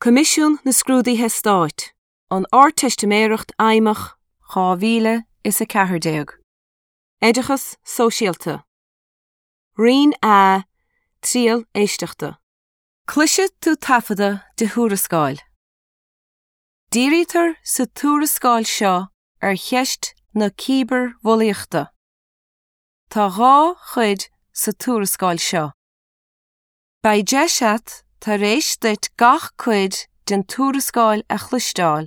Coimisiún na Scrúduithe Stáit, An Ardteistiméireacht Fheidhmeach 2014. Oideachas Sóisialta. Roinn A, Triail Éisteachta. Cloisfidh tú taifeadadh de thuarascáil. Dírítear sa tuarascáil seo ar cheist na cibearbhulaíochta. Tá dhá chuid sa tuarascáil seo. Beidh deis a't, tar éis duit gach cuid den tuarascáil a chloisteáil,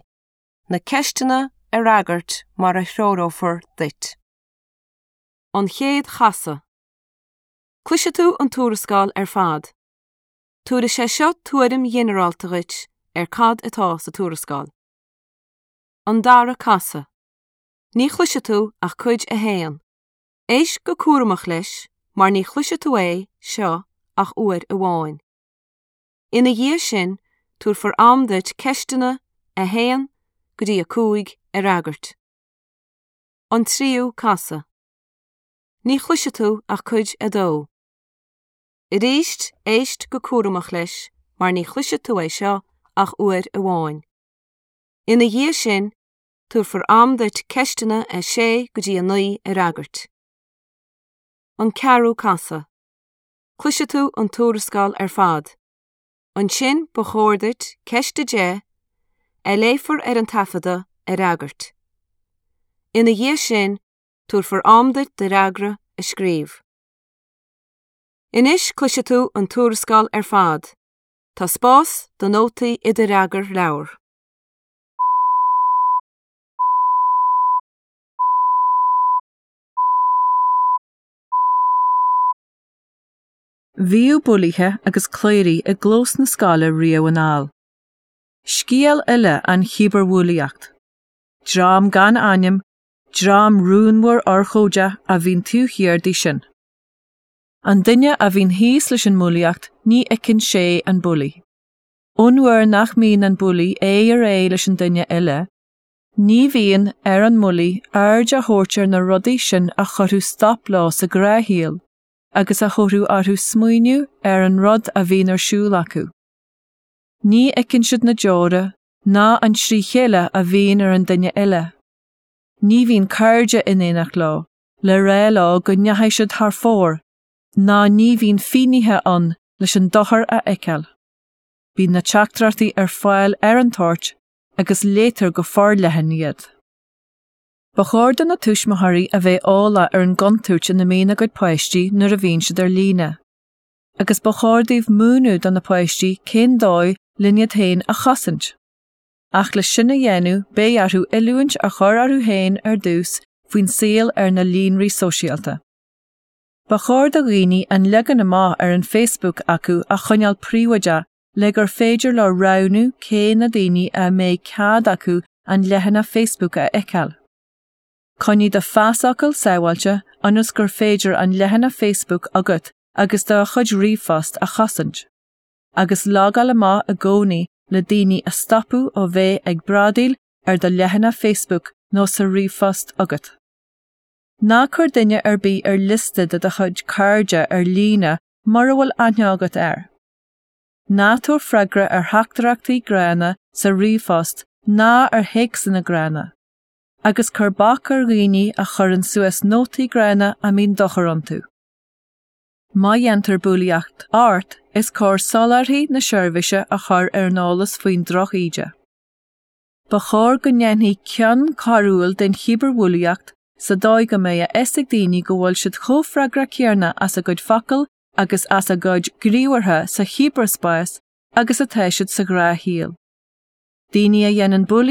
na ceisteanna a fhreagairt mar a threorófar duit. An chéad chasadh. Cloisfidh tú an tuarascáil ar fad. Tabharfaidh sé seo tuairim ghinearálta dhuit ar cad atá sa tuarascáil. An dara casadh. Ní chloisfidh tú ach cuid a haon. Éist go cúramach leis mar ní chloisfidh tú é seo ach uair amháin. Ina dhiaidh sin, tabharfar am duit ceisteanna 1 go dtí 5 a fhreagairt. An tríú casadh. Ní chloisfidh tú ach cuid 2. Arís, éist go cúramach leis mar ní chloisfidh tú é seo ach uair amháin. Ina dhiaidh sin, Tabharfar am duit ceisteanna 6 go dtí 9 a fhreagairt. An ceathrú casadh. Cloisfidh tú an tuarascáil ar fad. Ansin ba chóir duit ceist 10, a léifear ar an taifeadadh, a fhreagairt. Ina dhiaidh sin, tabharfar am duit do fhreagra a scríobh. Anois cloisfidh tú an tuarascáil ar fad. Tá spás do nótaí i do fhreagarleabhar. Bhíodh bulaithe agus cléirigh i gclós na scoile riamh anall. Scéal eile an chibearbhulaíocht. Dream gan ainm, dream rúnmhar urchóideach a bhíonn taobh thiar di sin. An duine a bhíonn thíos leis an mbulaíocht ní fheiceann sé an bulaí. Ón uair nach mbíonn an bulaí aghaidh ar aghaidh leis an duine eile, ní bhíonn ar an mbulaí aird a thabhairt ar na rudaí sin a chuirfeadh stop leo sa ghnáthshaol agus a thabharfadh orthu smaoineamh ar an rud a bhíonn ar siúl acu. Ní fheiceann siad na deora ná an trí chéile a bhíonn ar an duine eile. Ní bhíonn cairde in éineacht leo le rá leo go ndeachaigh siad thar fóir ná ní bhíonn finnéithe ann leis an dochar a fheiceáil. Bíonn na teachtaireachtaí ar fáil ar an toirt agus léitear go forleathan iad. Ba chóir do na tuismitheoirí a bheith eolach ar an gcontúirt ina mbíonn a gcuid páistí nuair a bhíonn siad ar líne. Agus ba chóir dóibh múineadh do na páistí cén dóigh len iad féin a chosaint. Ach le sin a dhéanamh beidh orthu oiliúint a chur orthu féin ar dtús faoin saol ar na líonraí sóisialta. Ba chóir do dhaoine an leagan amach ar an Facebook acu a choinneáil príobháideach le gur féidir leo roghnú cé na daoine a mbeidh cead acu an leathanach Facebook a fheiceáil. Coinnigh do phasfhocal sábháilte ionas gur féidir an leathanach Facebook agat agus do chuid ríomhphost a chosaint. Agus logáil amach i gcónaí le daoine a stopadh ó bheith ag bradaíl ar do leathanach Facebook nó sa ríomhphost agat. Ná cuir duine ar bith ar liosta de do chuid cairde ar líne mura bhfuil aithne agat air. Ná tabhair freagra ar theachtaireachtaí gránna sa ríomhphost ná ar théacsanna gránna, agus cuir bac ar dhaoine a chuireann suas nótaí gránna a mbíonn dochar iontu. Má dhéantar bulaíocht ort, is cóir soláthraí na seirbhíse a chur ar an eolas faoin drochíde. Ba chóir go ndéanfaí cion coiriúil den chibearbhulaíocht sa dóigh go mbeidh a fhios ag daoine go bhfuil siad chomh freagrach céanna as a gcuid focal agus as a gcuid gníomhartha sa chibearspás agus atá siad sa ghnáthshaol. Daoine a dhéanann bulaíocht.